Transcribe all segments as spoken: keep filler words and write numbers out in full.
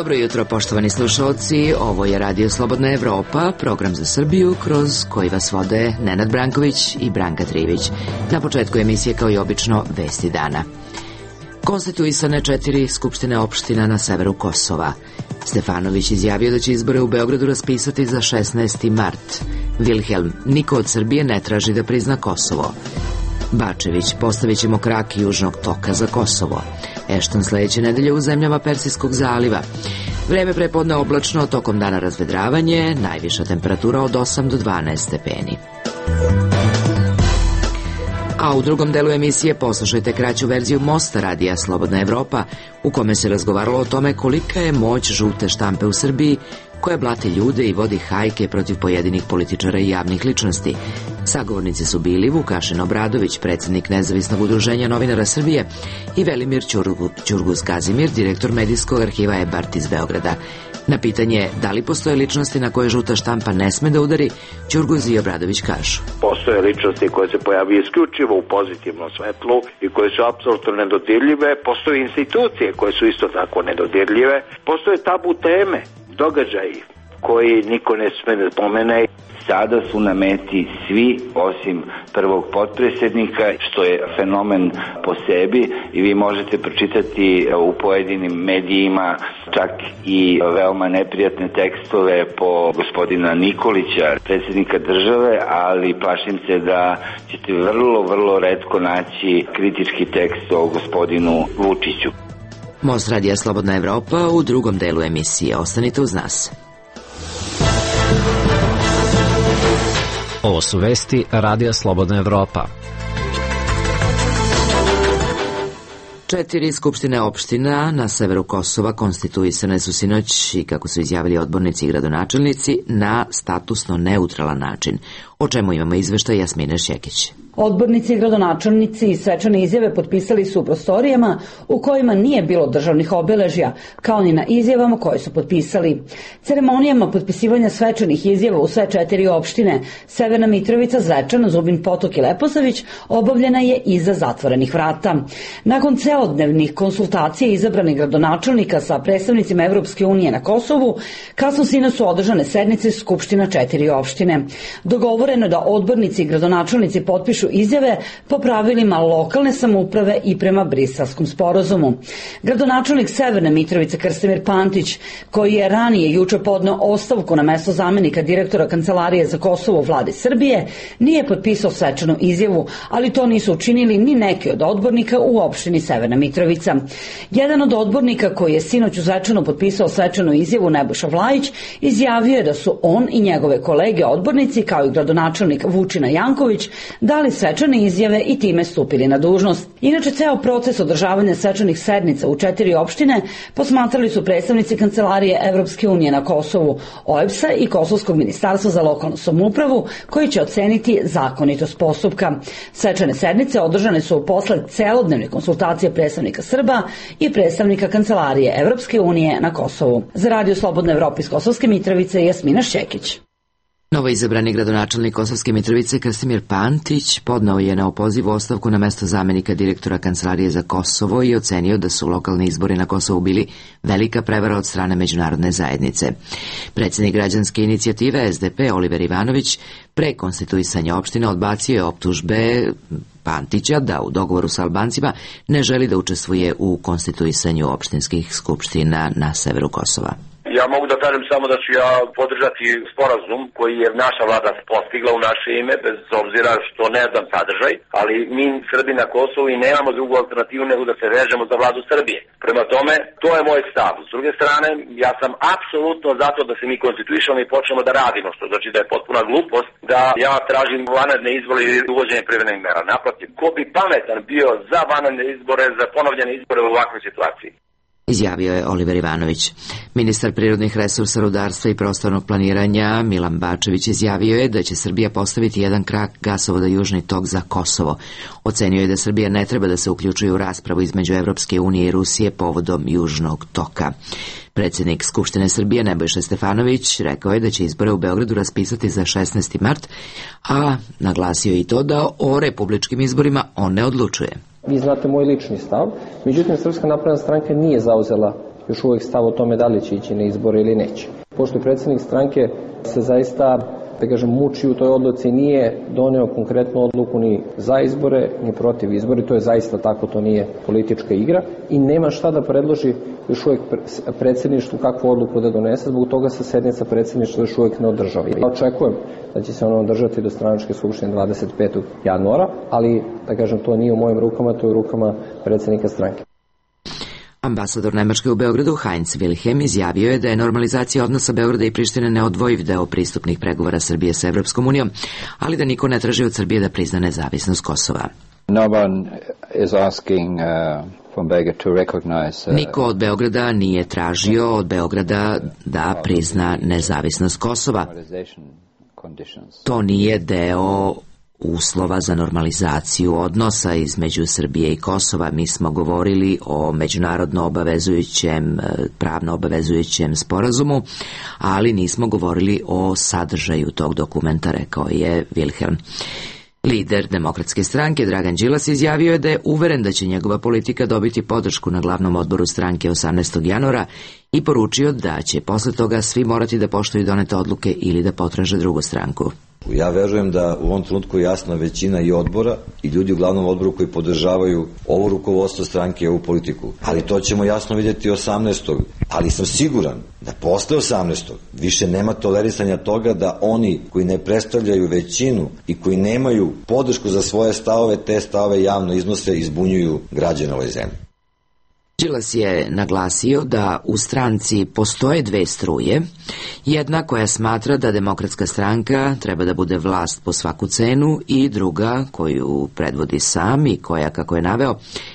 Dobro jutro, poštovani slušalci, ovo je Radio Slobodna Evropa, program za Srbiju kroz koji vas vode Nenad Branković i Branka Trivić. Na početku emisije, kao i obično, vesti dana. Konstituisane četiri skupštine opština na severu Kosova. Stefanović izjavio da će izbore u Beogradu raspisati za šesnaesti mart. Wilhelm, niko od Srbije ne traži da prizna Kosovo. Bačević, postavit ćemo krak južnog toka za Kosovo. Ešton sledeće nedelje u zemljama Persijskog zaliva. Vreme prepodne oblačno, tokom dana razvedravanje, najviša temperatura od osam do dvanaest stepeni. A u drugom delu emisije poslušajte kraću verziju Mosta radija Slobodna Evropa, u kome se razgovaralo o tome kolika je moć žute štampe u Srbiji, koja blati ljude i vodi hajke protiv pojedinih političara i javnih ličnosti. Sagovornici su bili Vukašin Obradović, predsjednik Nezavisnog udruženja novinara Srbije, i Velimir Ćurguz Kazimir, direktor medijskog arhiva E-Bart iz Beograda. Na pitanje da li postoje ličnosti na koje žuta štampa ne sme da udari, Ćurguz i Obradović kažu: Postoje ličnosti koje se pojavaju isključivo u pozitivnom svetlu i koje su apsolutno nedodirljive. Postoje institucije koje su isto tako nedodirljive. Postoje tabu teme, događaji koji niko ne sme da pomene. Sada su na meti svi osim prvog potpredsjednika, što je fenomen po sebi, i vi možete pročitati u pojedinim medijima čak i veoma neprijatne tekstove po gospodina Nikolića, predsjednika države, ali plašim se da ćete vrlo, vrlo retko naći kritički tekst o gospodinu Vučiću. Most radija Slobodna Evropa u drugom delu emisije. Ostanite uz nas. Ovo su vesti Radija Slobodna Evropa. Četiri skupštine opština na severu Kosova konstituisane su sinoć i, kako su izjavili odbornici i gradonačelnici, na statusno neutralan način, o čemu imamo izveštaj Jasmine Šekić. Odbornici i gradonačelnici i svečane izjave potpisali su u prostorijama u kojima nije bilo državnih obeležja, kao ni na izjavama koje su potpisali. Ceremonijama potpisivanja svečanih izjava u sve četiri opštine, Severna Mitrovica, Zvečan, Zubin Potok i Leposavić, obavljena je iza zatvorenih vrata. Nakon celodnevnih konsultacija izabranih gradonačelnika sa predstavnicima Evropske unije na Kosovu, kasno sinoć su održane sednice skupština četiri opštine. Dogovoreno je da odbornici i gradonačelnici potpišu izjave po pravilima lokalne samouprave i prema Briselskom sporazumu. Gradonačelnik Severne Mitrovice Krstimir Pantić, koji je ranije juče podneo ostavku na mesto zamenika direktora Kancelarije za Kosovo vlade Srbije, nije potpisao svečanu izjavu, ali to nisu učinili ni neki od odbornika u opštini Severna Mitrovica. Jedan od odbornika koji je sinoć u Zvečanu potpisao svečanu izjavu, Nebojša Vlajić, izjavio je da su on i njegove kolege odbornici, kao i gradonačelnik Vučina Janković, dali svečane izjave i time stupili na dužnost. Inače, ceo proces održavanja svečanih sednica u četiri opštine posmatrali su predstavnici Kancelarije Evropske unije na Kosovu, O E B S-a i Kosovskog ministarstva za lokalnu samoupravu, koji će oceniti zakonitost postupka. Svečane sednice održane su posle celodnevne konsultacije predstavnika Srba i predstavnika Kancelarije Evropske unije na Kosovu. Za Radio Slobodna Evropa iz Kosovske Mitrovice, Jasmina Šekić. Novo izabrani gradonačelnik Kosovske Mitrovice Krstimir Pantić podneo je na opoziv ostavku na mesto zamenika direktora Kancelarije za Kosovo i ocenio da su lokalni izbori na Kosovu bili velika prevara od strane međunarodne zajednice. Predsjednik građanske inicijative S D P Oliver Ivanović pre konstituisanja opštine odbacio je optužbe Pantića da u dogovoru sa Albancima ne želi da učestvuje u konstituisanju opštinskih skupština na severu Kosova. Ja mogu da kažem samo da ću ja podržati sporazum koji je naša vlada postigla u naše ime, bez obzira što ne znam sadržaj, ali mi Srbi na Kosovu i nemamo drugu alternativu nego da se vežemo za vladu Srbije. Prema tome, to je moj stav. S druge strane, ja sam apsolutno zato da se mi konstituišemo i počnemo da radimo, što znači da je potpuna glupost da ja tražim vanredne izbore ili uvođenje privremenih mera. Naprotiv, ko bi pametan bio za vanredne izbore, za ponovljene izbore u ovakvoj situaciji? Izjavio je Oliver Ivanović. Ministar prirodnih resursa, rudarstva i prostornog planiranja Milan Bačević izjavio je da će Srbija postaviti jedan krak gasovoda Južni tok za Kosovo. Ocenio je da Srbija ne treba da se uključuje u raspravu između Evropske unije i Rusije povodom Južnog toka. Predsjednik Skupštine Srbije Nebojša Stefanović rekao je da će izbore u Beogradu raspisati za šesnaesti mart, a naglasio i to da o republičkim izborima on ne odlučuje. Vi znate moj lični stav, međutim Srpska napredna stranka nije zauzela još uvijek stav o tome da li će ići na izbore ili neće. Pošto je predsjednik stranke se zaista, da kažem, muči u toj odluci, nije doneo konkretnu odluku ni za izbore, ni protiv izbori, to je zaista tako, to nije politička igra i nema šta da predloži još uvijek predsjedništvu kakvu odluku da donese, zbog toga se sednica predsjedništva još uvijek ne održava. Ja očekujem da će se ono održati do stranačke skupštine dvadeset petog januara, ali, da kažem, to nije u mojim rukama, to je u rukama predsjednika stranke. Ambasador Nemačke u Beogradu Heinz Wilhelm izjavio je da je normalizacija odnosa Beograda i Prištine neodvojiv deo pristupnih pregovora Srbije sa Evropskom unijom, ali da niko ne traži od Srbije da prizna nezavisnost Kosova. No one is asking, uh... Niko od Beograda nije tražio od Beograda da prizna nezavisnost Kosova. To nije deo uslova za normalizaciju odnosa između Srbije i Kosova. Mi smo govorili o međunarodno obavezujućem, pravno obavezujućem sporazumu, ali nismo govorili o sadržaju tog dokumenta, rekao je Wilhelm. Lider Demokratske stranke Dragan Đilas izjavio je da je uveren da će njegova politika dobiti podršku na glavnom odboru stranke osamnaestog januara i poručio da će posle toga svi morati da poštuju donete odluke ili da potraže drugu stranku. Ja verujem da u ovom trenutku jasna većina i odbora i ljudi u glavnom odboru koji podržavaju ovo rukovodstvo stranke i ovu politiku. Ali to ćemo jasno vidjeti osamnaestog Ali sam siguran da posle osamnaestog više nema tolerisanja toga da oni koji ne predstavljaju većinu i koji nemaju podršku za svoje stavove, te stavove javno iznose i zbunjuju građane ove zemlje. Đilas je naglasio da u stranci postoje dve struje, jedna koja smatra da Demokratska stranka treba da bude vlast po svaku cenu i druga koju predvodi sam i koja, kako je naveo,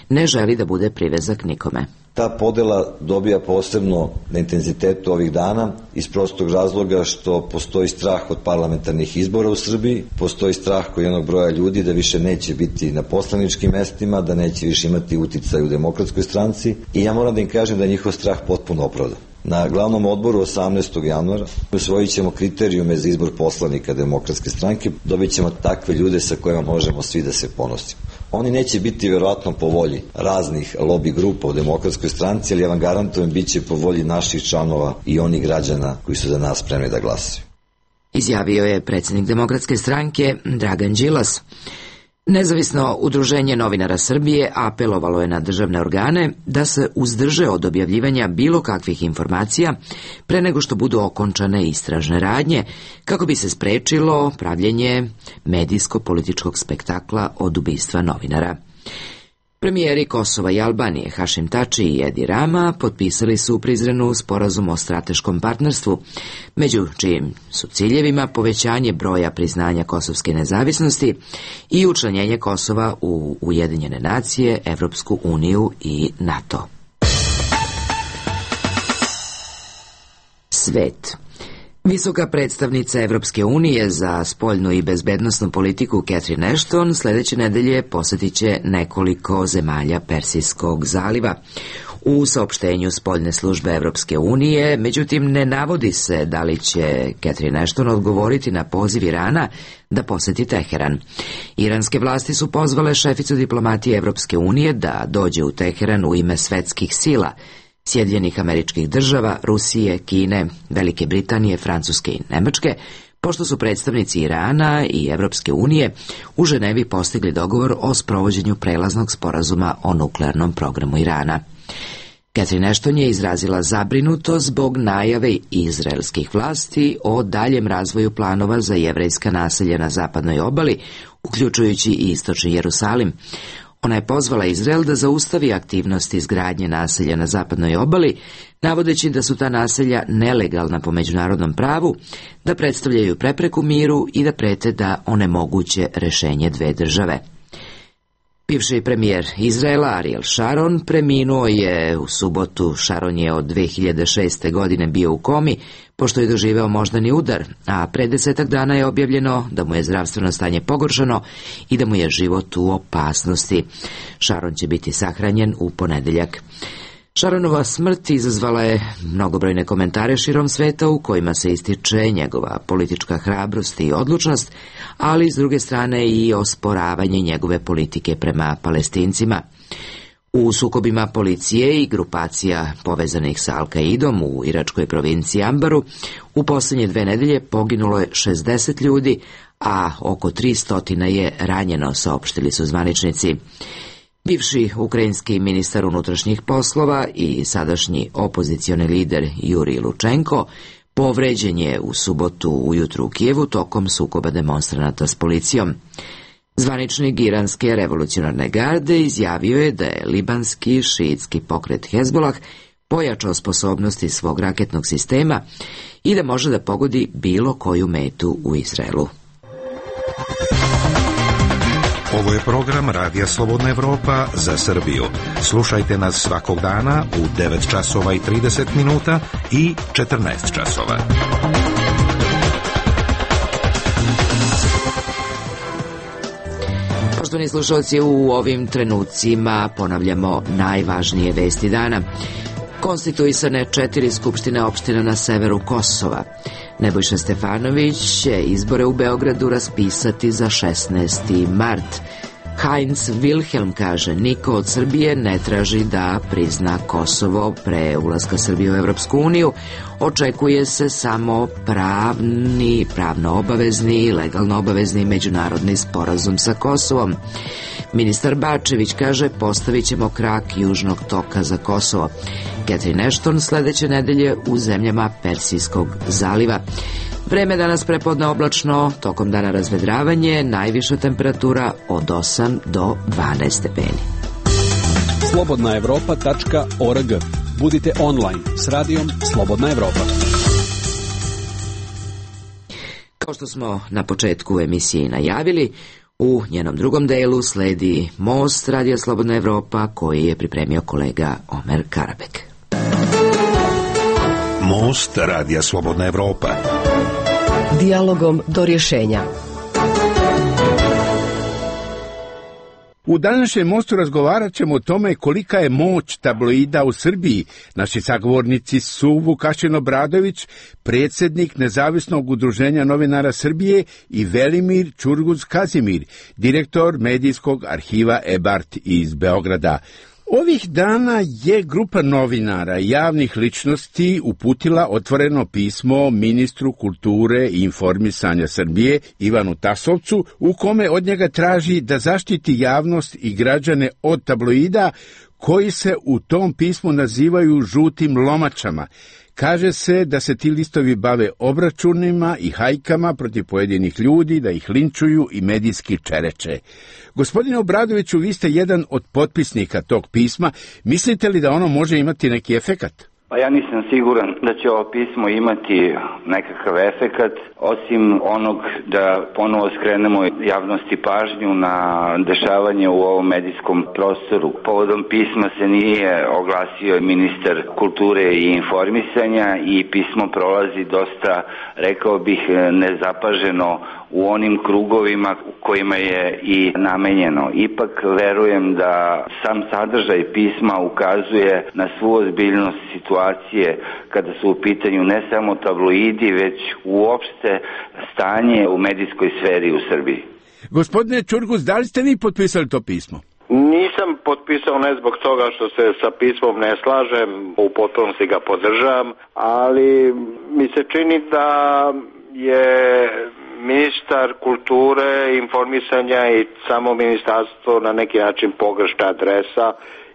ne želi da bude privezak nikome. Ta podela dobija posebno na intenzitetu ovih dana iz prostog razloga što postoji strah od parlamentarnih izbora u Srbiji, postoji strah kod jednog broja ljudi da više neće biti na poslaničkim mestima, da neće više imati uticaj u Demokratskoj stranci i ja moram da im kažem da je njihov strah potpuno opravdan. Na glavnom odboru osamnaestog januara usvojit ćemo kriterijume za izbor poslanika Demokratske stranke, dobit ćemo takve ljude sa kojima možemo svi da se ponosimo. Oni neće biti verovatno po volji raznih lobby grupa u Demokratskoj stranci, ali ja vam garantujem bit će po volji naših članova i onih građana koji su za nas spremni da glasaju. Izjavio je predsjednik Demokratske stranke Dragan Đilas. Nezavisno udruženje novinara Srbije apelovalo je na državne organe da se uzdrže od objavljivanja bilo kakvih informacija pre nego što budu okončane istražne radnje, kako bi se sprečilo pravljenje medijsko-političkog spektakla od ubistva novinara. Premijeri Kosova i Albanije Hašim Tači i Edi Rama potpisali su u Prizrenu sporazum o strateškom partnerstvu, među čijim su ciljevima povećanje broja priznanja kosovske nezavisnosti i učlanjenje Kosova u Ujedinjene nacije, Evropsku uniju i NATO. Svet. Visoka predstavnica Evropske unije za spoljnu i bezbednosnu politiku Catherine Ashton sledeće nedelje posjetit će nekoliko zemalja Persijskog zaliva. U saopštenju spoljne službe Evropske unije, međutim, ne navodi se da li će Catherine Ashton odgovoriti na poziv Irana da poseti Teheran. Iranske vlasti su pozvale šeficu diplomatije Evropske unije da dođe u Teheran u ime svetskih sila, Sjedinjenih Američkih Država, Rusije, Kine, Velike Britanije, Francuske i Nemačke, pošto su predstavnici Irana i Evropske unije u Ženevi postigli dogovor o sprovođenju prelaznog sporazuma o nuklearnom programu Irana. Catherine Ashton je izrazila zabrinutost zbog najave izraelskih vlasti o daljem razvoju planova za jevrejska naselja na zapadnoj obali, uključujući i istočni Jerusalim. Ona je pozvala Izrael da zaustavi aktivnosti izgradnje naselja na zapadnoj obali, navodeći da su ta naselja nelegalna po međunarodnom pravu, da predstavljaju prepreku miru i da prete da onemoguće rešenje dve države. Bivši premijer Izraela Ariel Sharon preminuo je u subotu. Sharon je od dve hiljade šeste. godine bio u komi, pošto je doživeo moždani udar, a pre desetak dana je objavljeno da mu je zdravstveno stanje pogoršano i da mu je život u opasnosti. Sharon će biti sahranjen u ponedeljak. Sharonova smrt izazvala je mnogobrojne komentare širom sveta u kojima se ističe njegova politička hrabrost i odlučnost, ali s druge strane i osporavanje njegove politike prema Palestincima. U sukobima policije i grupacija povezanih sa Al-Kaidom u iračkoj provinciji Ambaru u posljednje dve nedelje poginulo je šezdeset ljudi, a oko tristo je ranjeno, saopštili su zvaničnici. Bivši ukrajinski ministar unutrašnjih poslova i sadašnji opozicioni lider Jurij Lučenko povređen je u subotu ujutru u Kijevu tokom sukoba demonstranata s policijom. Zvaničnik iranske revolucionarne garde izjavio je da je libanski šiitski pokret Hezbolah pojačao sposobnosti svog raketnog sistema i da može da pogodi bilo koju metu u Izraelu. Ovo je program Radija Slobodna Evropa za Srbiju. Slušajte nas svakog dana u devet časova i trideset minuta i četrnaest časova. Poštovani slušalci, u ovim trenucima ponavljamo najvažnije vesti dana. Konstituisane četiri skupštine opština na severu Kosova. Nebojša Stefanović će izbore u Beogradu raspisati za šesnaesti mart. Heinz Wilhelm kaže, niko od Srbije ne traži da prizna Kosovo pre ulaska Srbije u Evropsku uniju. Očekuje se samo pravni, pravno obavezni i legalno obavezni međunarodni sporazum sa Kosovom. Ministar Bačević kaže, postavit ćemo krak južnog toka za Kosovo. Catherine Ashton sledeće nedelje u zemljama Persijskog zaliva. Vreme danas prepodne oblačno, tokom dana razvedravanje, najviša temperatura od osam do dvanaest stepeni. slobodna evropa tačka org. Budite online s radijom Slobodna Evropa. Kao što smo na početku emisije najavili, u njenom drugom delu sledi Most Radija Slobodna Evropa koji je pripremio kolega Omer Karabek. Most Radija Slobodna Evropa. Dijalogom do rješenja. U današnjem mostu razgovarat ćemo o tome kolika je moć tabloida u Srbiji. Naši sagovornici su Vukašin Obradović, predsjednik Nezavisnog udruženja novinara Srbije, i Velimir Ćurguz Kazimir, direktor medijskog arhiva Ebart iz Beograda. Ovih dana je grupa novinara i javnih ličnosti uputila otvoreno pismo ministru kulture i informisanja Srbije Ivanu Tasovcu, u kome od njega traži da zaštiti javnost i građane od tabloida koji se u tom pismu nazivaju žutim lomačama. Kaže se da se ti listovi bave obračunima i hajkama protiv pojedinih ljudi, da ih linčuju i medijski čereče. Gospodine Obradoviću, vi ste jedan od potpisnika tog pisma. Mislite li da ono može imati neki efekat? Pa ja nisam siguran da će ovo pismo imati nekakav efekat, osim onog da ponovo skrenemo javnosti pažnju na dešavanje u ovom medijskom prostoru. Povodom pisma se nije oglasio ministar kulture i informisanja i pismo prolazi dosta, rekao bih, nezapaženo u onim krugovima u kojima je i namenjeno. Ipak verujem da sam sadržaj pisma ukazuje na svu ozbiljnost situacije kada su u pitanju ne samo tabloidi, već uopšte stanje u medijskoj sferi u Srbiji. Gospodine Ćurguz, da li ste vi potpisali to pismo? Nisam potpisao ne zbog toga što se sa pismom ne slažem, u potpunosti ga podržavam, ali mi se čini da je ministar kulture, informisanja i samo ministarstvo na neki način pogrešna adresa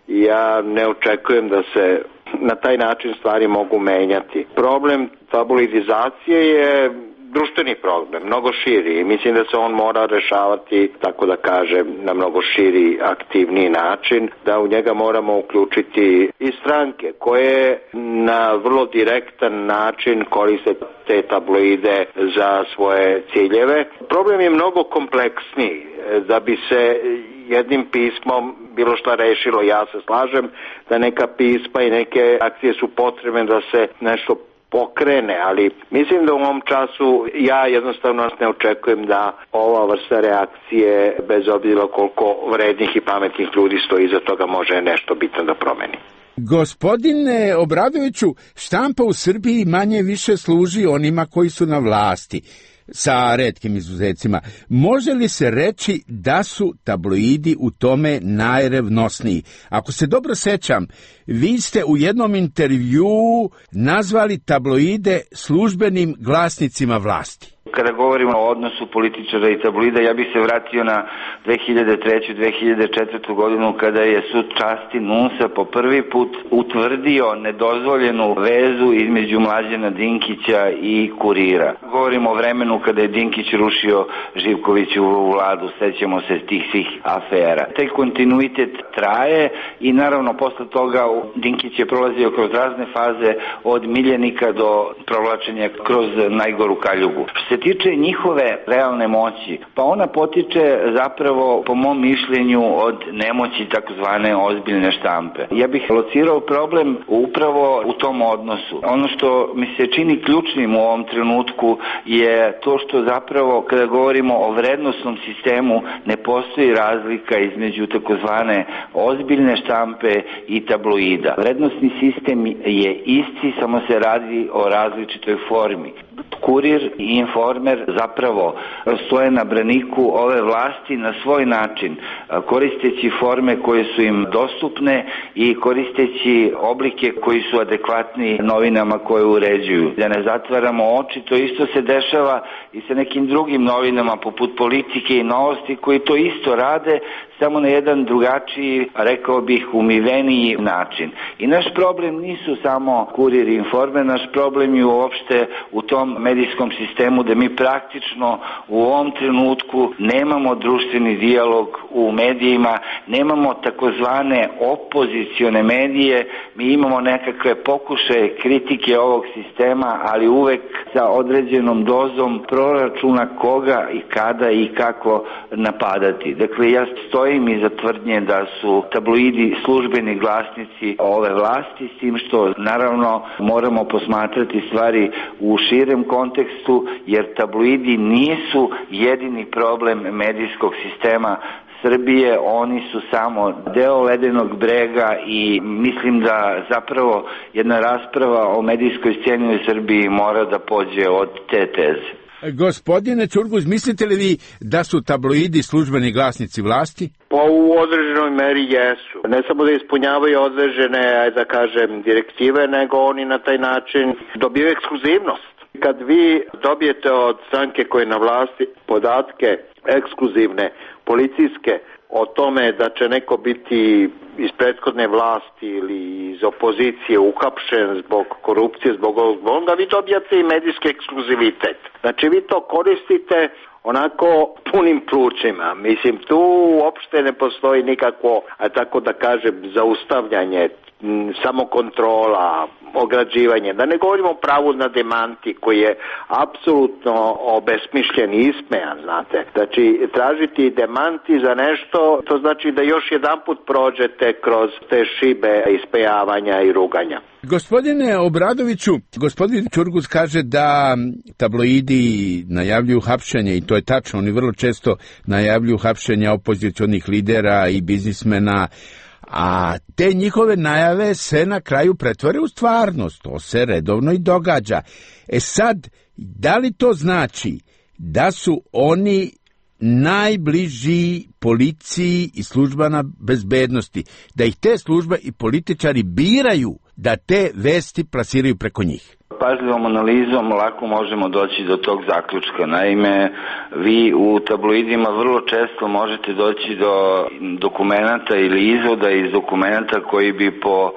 i ja ne očekujem da se na taj način stvari mogu menjati. Problem tabloidizacije je društveni problem, mnogo širi i mislim da se on mora rešavati, tako da kažem, na mnogo širi, aktivniji način, da u njega moramo uključiti i stranke koje na vrlo direktan način koriste te tabloide za svoje ciljeve. Problem je mnogo kompleksniji. Da bi se jednim pismom bilo šta rešilo, ja se slažem da neka pisma i neke akcije su potrebne da se nešto pokrene, ali mislim da u ovom času ja jednostavno ne očekujem da ova vrsta reakcije, bez obzira koliko vrednih i pametnih ljudi stoji iza toga, može nešto bitno da promeni. Gospodine Obradoviću, štampa u Srbiji manje više služi onima koji su na vlasti. sa retkim izuzecima. Može li se reći da su tabloidi u tome najrevnosniji? Ako se dobro sećam, vi ste u jednom intervjuu nazvali tabloide službenim glasnicima vlasti. Kada govorimo o odnosu političara i tabloida, ja bih se vratio na dve hiljade treću. dve hiljade četvrtu. godinu kada je sud časti N U S-a po prvi put utvrdio nedozvoljenu vezu između Mlađana Dinkića i Kurira. Govorimo o vremenu kada je Dinkić rušio Živkovićevu vladu, sećamo se tih svih afera. Taj kontinuitet traje i naravno posle toga Dinkić je prolazio kroz razne faze od miljenika do provlačenja kroz najgoru kaljugu. Što se tiče njihove realne moći, pa ona potiče zapravo, po mom mišljenju, od nemoći takozvane ozbiljne štampe. Ja bih locirao problem upravo u tom odnosu. Ono što mi se čini ključnim u ovom trenutku je to što zapravo kada govorimo o vrednosnom sistemu ne postoji razlika između takozvane ozbiljne štampe i tabloida. Vrednosni sistem je isti, samo se radi o različitoj formi. Kurir i Informer zapravo stoje na braniku ove vlasti na svoj način, koristeći forme koje su im dostupne i koristeći oblike koji su adekvatni novinama koje uređuju. Da ne zatvaramo oči, to isto se dešava i sa nekim drugim novinama poput Politike i Novosti koji to isto rade, samo na jedan drugačiji, rekao bih, umiveniji način. I naš problem nisu samo Kurir i Informer, naš problem je uopšte u tom medijskom sistemu da mi praktično u ovom trenutku nemamo društveni dijalog u medijima, nemamo takozvane opozicione medije, mi imamo nekakve pokušaje kritike ovog sistema, ali uvek sa određenom dozom proračuna koga i kada i kako napadati. Dakle, ja stojim iza tvrdnje da su tabloidi službeni glasnici ove vlasti, s tim što naravno moramo posmatrati stvari u širem kontekstu, jer tabloidi nisu jedini problem medijskog sistema Srbije, oni su samo deo ledenog brega i mislim da zapravo jedna rasprava o medijskoj sceni u Srbiji mora da pođe od te teze. Gospodine Ćurguz, mislite li vi da su tabloidi službeni glasnici vlasti? Pa u određenoj meri jesu. Ne samo da ispunjavaju određene, da kažem, direktive, nego oni na taj način dobiju ekskluzivnost. Kad vi dobijete od stranke koje je na vlasti podatke ekskluzivne, policijske, o tome da će neko biti iz prethodne vlasti ili iz opozicije uhapšen zbog korupcije, zbog ovog, onda vi dobijate i medijski ekskluzivitet. Znači vi to koristite onako punim plućima. Mislim, tu uopšte ne postoji nikakvo, a tako da kažem, zaustavljanje, samokontrola, ograđivanje. Da ne govorimo o pravu na demanti koji je apsolutno obesmišljen i ismejan, znate. Znači, tražiti demanti za nešto, to znači da još jedan put prođete kroz te šibe ispejavanja i ruganja. Gospodine Obradoviću, gospodin Ćurguz kaže da tabloidi najavljuju hapšenje i to je tačno, oni vrlo često najavljuju hapšenja opozicionih lidera i biznismena, a te njihove najave se na kraju pretvore u stvarnost, to se redovno i događa. E sad, da li to znači da su oni najbliži policiji i službama bezbednosti, da ih te službe i političari biraju da te vesti plasiraju preko njih? Pažljivom analizom lako možemo doći do tog zaključka. Naime, vi u tabloidima vrlo često možete doći do dokumenata ili izvoda iz dokumenata koji bi po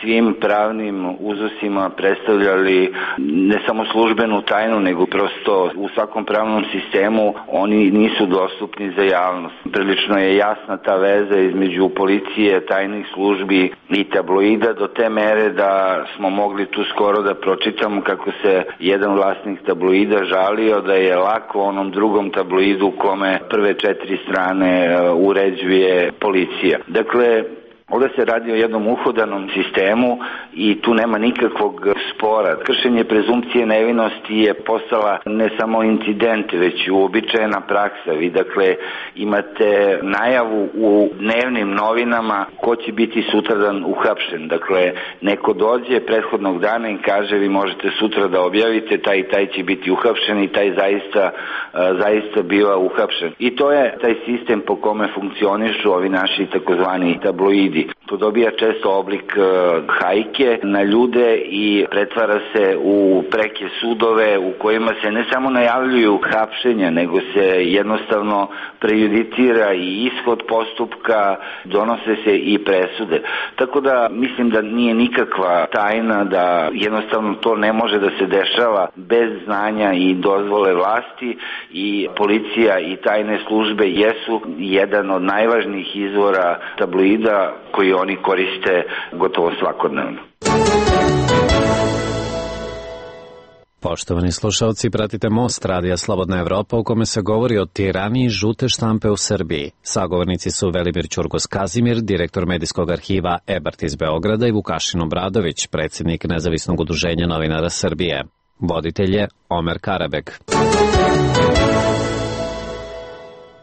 svim pravnim uzusima predstavljali ne samo službenu tajnu, nego prosto u svakom pravnom sistemu oni nisu dostupni za javnost. Prilično je jasna ta veza između policije, tajnih službi i tabloida do te mere da smo mogli tu skoro da pročitamo kako se jedan vlasnik tabloida žalio da je lako onom drugom tabloidu kome prve četiri strane uređuje policija. Dakle, Ovdje se radi o jednom uhodanom sistemu i tu nema nikakvog spora. Kršenje prezumpcije nevinosti je postala ne samo incident, već uobičajena praksa. Vi dakle imate najavu u dnevnim novinama ko će biti sutradan uhapšen. Dakle, neko dođe prethodnog dana i kaže vi možete sutra da objavite, taj i taj će biti uhapšen i taj zaista, zaista biva uhapšen. I to je taj sistem po kome funkcionišu ovi naši takozvani tabloidi. To dobija često oblik uh, hajke na ljude i pretvara se u preke sudove u kojima se ne samo najavljuju hapšenja, nego se jednostavno prejudicira i ishod postupka, donose se i presude. Tako da mislim da nije nikakva tajna da jednostavno to ne može da se dešava bez znanja i dozvole vlasti i policija i tajne službe jesu jedan od najvažnijih izvora tabloida koji oni koriste gotovo svakodnevno. Poštovani slušalci, pratite Most Radija Slobodna Evropa u kome se govori o tiraniji žute štampe u Srbiji. Sagovornici su Velimir Ćurgos Kazimir, direktor medijskog arhiva Ebert iz Beograda i Vukašin Obradović, predsjednik Nezavisnog udruženja novinara Srbije. Voditelj je Omer Karabek.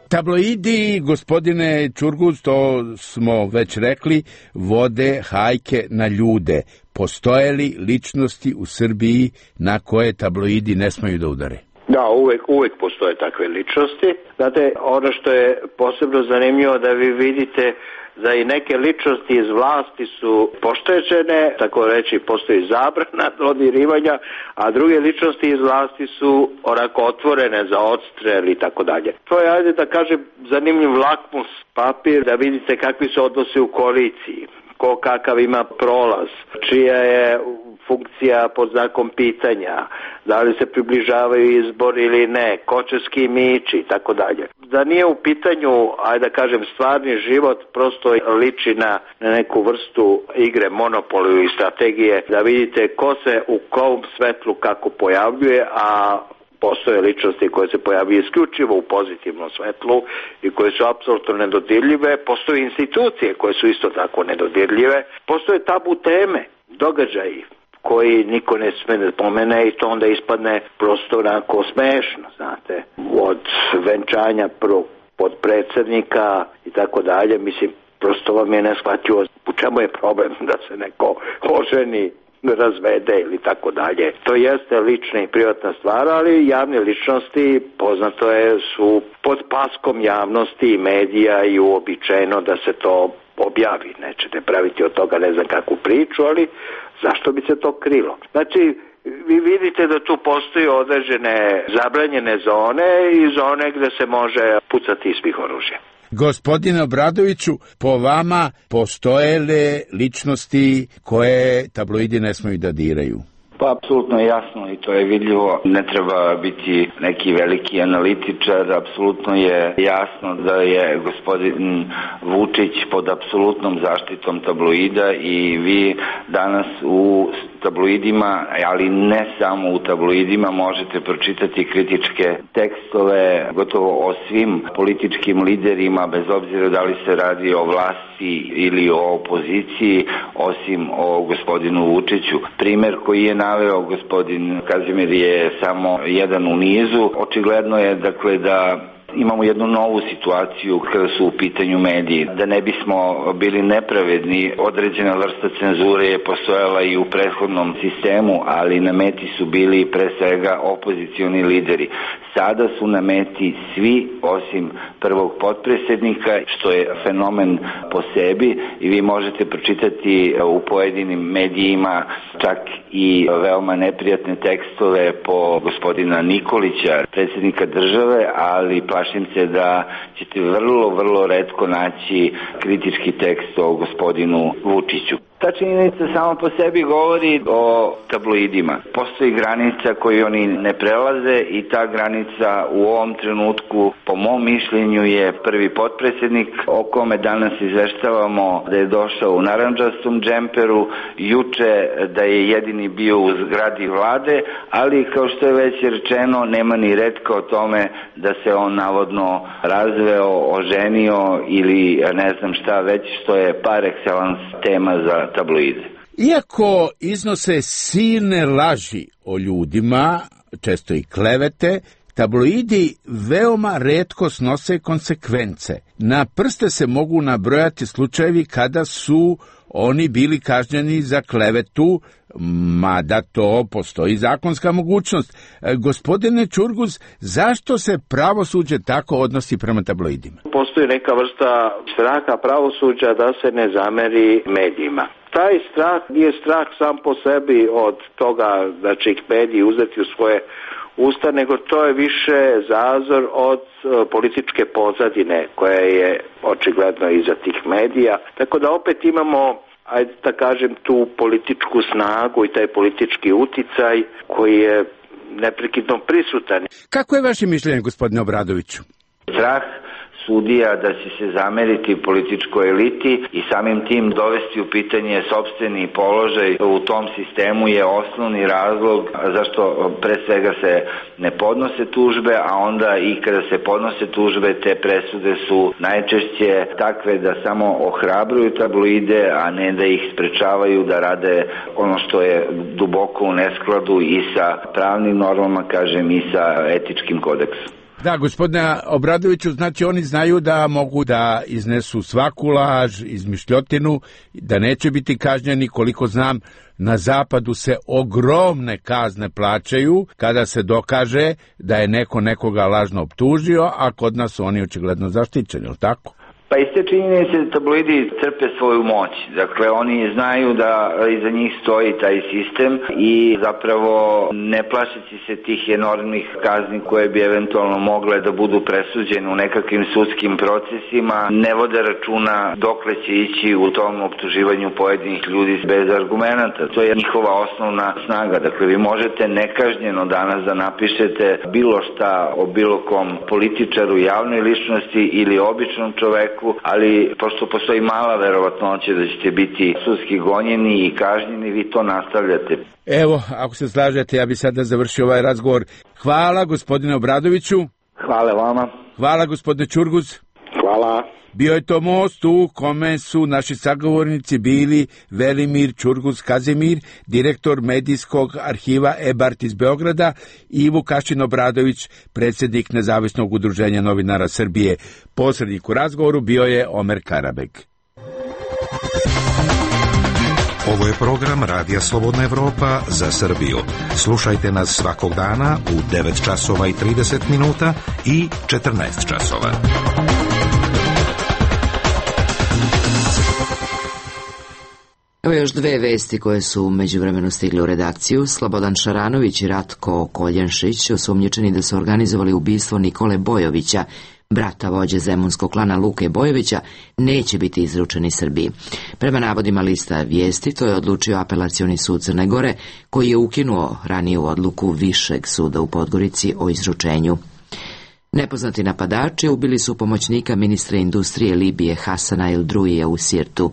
Tabloidi, gospodine Ćurguz, to smo već rekli, vode hajke na ljude. Postoje li ličnosti u Srbiji na koje tabloidi ne smeju da udare? Da, uvek, uvek postoje takve ličnosti. Znate, ono što je posebno zanimljivo da vi vidite da i neke ličnosti iz vlasti su pošteđene, tako reći postoji zabrana dodirivanja, a druge ličnosti iz vlasti su onako otvorene za odstrel i tako dalje. To je, ajde da kažem, zanimljiv lakmus papir da vidite kakvi se odnose u koaliciji, ko kakav ima prolaz, čija je funkcija pod znakom pitanja, da li se približavaju izbori ili ne, ko će s kim ići i tako dalje. Da nije u pitanju, ajde da kažem, stvarni život, prosto liči na, na neku vrstu igre monopolu i strategije, da vidite ko se u kom svetlu kako pojavljuje, a postoje ličnosti koje se pojavljaju isključivo u pozitivnom svetlu i koje su apsolutno nedodirljive, postoje institucije koje su isto tako nedodirljive, postoje tabu teme, događaji koji niko ne sme da pomene i to onda ispadne prosto onako smešno, znate, od venčanja prvog podpredsednika i tako dalje, mislim, prosto vam je neshvatljivo u čemu je problem da se neko oženi, razvede ili tako dalje. To jeste lična i privatna stvar, ali javne ličnosti, poznato je, su pod paskom javnosti i medija i uobičajeno da se to objavi. Nećete praviti od toga ne znam kakvu priču, ali zašto bi se to krilo? Znači, vi vidite da tu postoji određene zabranjene zone i zone gde se može pucati iz svih oružja. Gospodine Obradoviću, po vama postoje li ličnosti koje tabloidi ne smeju da diraju? Pa apsolutno je jasno i to je vidljivo. Ne treba biti neki veliki analitičar, apsolutno je jasno da je gospodin Vučić pod apsolutnom zaštitom tabloida i vi danas u tabloidima, ali ne samo u tabloidima, možete pročitati kritičke tekstove gotovo o svim političkim liderima, bez obzira da li se radi o vlasti ili o opoziciji, osim o gospodinu Vučiću. Primer koji je naveo gospodin Kazimir je samo jedan u nizu. Očigledno je dakle da imamo jednu novu situaciju kada su u pitanju mediji. Da ne bismo bili nepravedni, određena vrsta cenzure je postojala i u prethodnom sistemu, ali na meti su bili pre svega opozicioni lideri. Sada su na meti svi osim prvog potpredsjednika, što je fenomen po sebi i vi možete pročitati u pojedinim medijima čak i veoma neprijatne tekstove po gospodina Nikolića, predsjednika države, ali plašim se da ćete vrlo, vrlo retko naći kritički tekst o gospodinu Vučiću. Ta činjenica samo po sebi govori o tabloidima. Postoji granica koju oni ne prelaze i ta granica u ovom trenutku, po mom mišljenju, je prvi potpredsjednik o kome danas izveštavamo da je došao u narandžastom džemperu, juče da je jedini bio u zgradi vlade, ali kao što je već rečeno, nema ni retka o tome da se on navodno razveo, oženio ili ne znam šta već, što je par excellence tema za tabloide. Iako iznose silne laži o ljudima, često i klevete, tabloidi veoma retko snose konsekvence. Na prste se mogu nabrojati slučajevi kada su oni bili kažnjeni za klevetu, mada to postoji zakonska mogućnost. E, gospodine Čurguz, zašto se pravosuđe tako odnosi prema tabloidima? Postoji neka vrsta straha pravosuđa da se ne zameri medijima. Taj strah nije strah sam po sebi od toga da će ih mediji uzeti u svoje usta, nego to je više zazor od uh, političke pozadine koja je očigledno iza tih medija. Tako da opet imamo, ajde da kažem, tu političku snagu i taj politički uticaj koji je neprekidno prisutan. Kako je vaše mišljenje, gospodine Obradoviću? Strah sudija da će se zameriti političkoj eliti i samim tim dovesti u pitanje sopstveni položaj u tom sistemu je osnovni razlog zašto pre svega se ne podnose tužbe, a onda i kada se podnose tužbe, te presude su najčešće takve da samo ohrabruju tabloide, a ne da ih sprečavaju da rade ono što je duboko u neskladu i sa pravnim normama, kažem, i sa etičkim kodeksom. Da, gospodine Obradoviću, znači oni znaju da mogu da iznesu svaku laž, izmišljotinu, da neće biti kažnjeni. Koliko znam, na zapadu se ogromne kazne plaćaju kada se dokaže da je neko nekoga lažno optužio, a kod nas su oni očigledno zaštićeni, je li tako? Pa iz te činjenice tabloidi crpe svoju moć. Dakle, oni znaju da iza njih stoji taj sistem i zapravo ne plašeći se tih enormnih kazni koje bi eventualno mogle da budu presuđene u nekakvim sudskim procesima, ne vode računa dokle će ići u tom optuživanju pojedinih ljudi bez argumenata. To je njihova osnovna snaga. Dakle, vi možete nekažnjeno danas da napišete bilo šta o bilo kom političaru, javnoj ličnosti ili običnom čoveku, ali pošto postoji mala verovatnoća da ćete biti sudski gonjeni i kažnjeni, vi to nastavljate. Evo, ako se slažete, ja bih sada završio ovaj razgovor. Hvala gospodine Obradoviću. Hvala vama. Hvala gospodine Čurguz. Hvala. Bio je to most u kome su naši sagovornici bili Velimir Čurguz Kazimir, direktor medijskog arhiva E-Bart iz Beograda, i Vukašin Obradović, predsjednik Nezavisnog udruženja novinara Srbije. Posrednik u razgovoru bio je Omer Karabeg. Ovo je program Radija Slobodna Evropa za Srbiju. Slušajte nas svakog dana u devet časova i trideset minuta i četrnaest časova. Evo još dve vesti koje su međuvremeno stigle u redakciju. Slobodan Šaranović i Ratko Koljenšić, osumnjičeni da su organizovali ubistvo Nikole Bojovića, brata vođe zemunskog klana Luke Bojovića, neće biti izručeni Srbiji. Prema navodima lista Vijesti, to je odlučio Apelacioni sud Crne Gore, koji je ukinuo raniju odluku Višeg suda u Podgorici o izručenju. Nepoznati napadači ubili su pomoćnika ministra industrije Libije Hasana El Druija u Sirtu.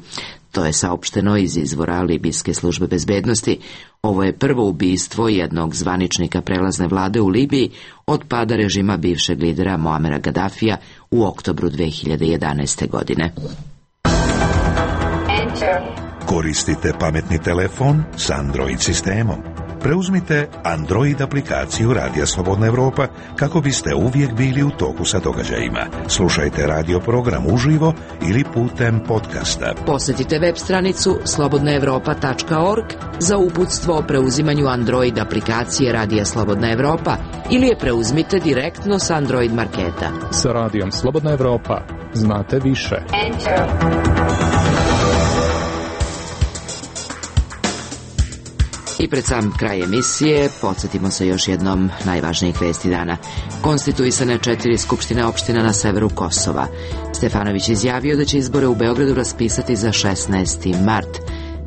To je saopšteno iz izvora libijske službe bezbednosti. Ovo je prvo ubistvo jednog zvaničnika prelazne vlade u Libiji od pada režima bivšeg lidera Muamera Gadafija u oktobru dve hiljade jedanaeste. godine. Koristite pametni telefon s Android sistemom. Preuzmite Android aplikaciju Radija Slobodna Evropa kako biste uvijek bili u toku sa događajima. Slušajte radio program uživo ili putem podcasta. Posjetite web stranicu slobodna evropa tačka org za uputstvo o preuzimanju Android aplikacije Radija Slobodna Evropa ili je preuzmite direktno s Android marketa. Sa Radijom Slobodna Evropa znate više. Enter. I pred sam kraj emisije podsjetimo se još jednom najvažnijih vesti dana. Konstituisane četiri skupštine opština na severu Kosova. Stefanović izjavio da će izbore u Beogradu raspisati za šesnaesti mart.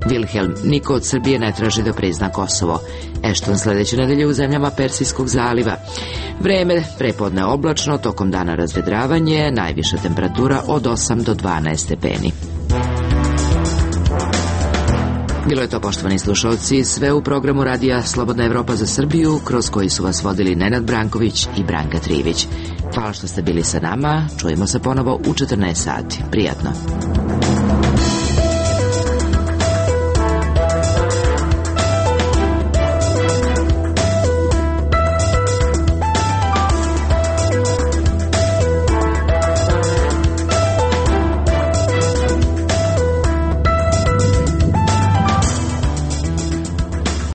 Wilhelm, niko od Srbije ne traži da prizna Kosovo. Ešton sledeće nedelje u zemljama Persijskog zaliva. Vreme prepodne oblačno, tokom dana razvedravanje, najviša temperatura od osam do dvanaest stepeni. Bilo je to, poštovani slušalci, sve u programu radija Slobodna Evropa za Srbiju, kroz koji su vas vodili Nenad Branković i Branka Trivić. Hvala što ste bili sa nama, čujemo se ponovo u četrnaest sati. Prijatno.